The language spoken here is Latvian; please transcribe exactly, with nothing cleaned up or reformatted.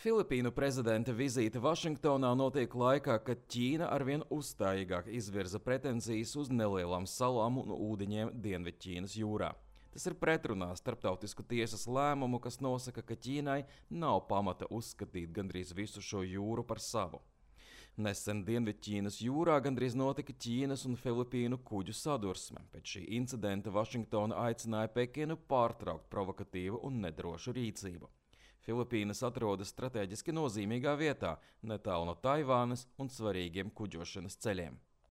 Filipīnu prezidenta vizīte Vašingtonā notiek laikā, kad Ķīna arvien uzstājīgāk izvirza pretenzijas uz nelielām salām un ūdeņiem Dienvidķīnas jūrā. Tas ir pretrunā starptautisku tiesas lēmumu, kas nosaka, ka Ķīnai nav pamata uzskatīt gandrīz visu šo jūru par savu. Nesen Dienvidķīnas jūrā gandrīz notika Ķīnas un Filipīnu kuģu sadursme. Pēc šī incidenta Vašingtona aicināja Pekinu pārtraukt provokatīvu un nedrošu rīcību. Filipīnas atrodas strateģiski nozīmīgā vietā, netālu no Taivānas un svarīgiem kuģošanas ceļiem.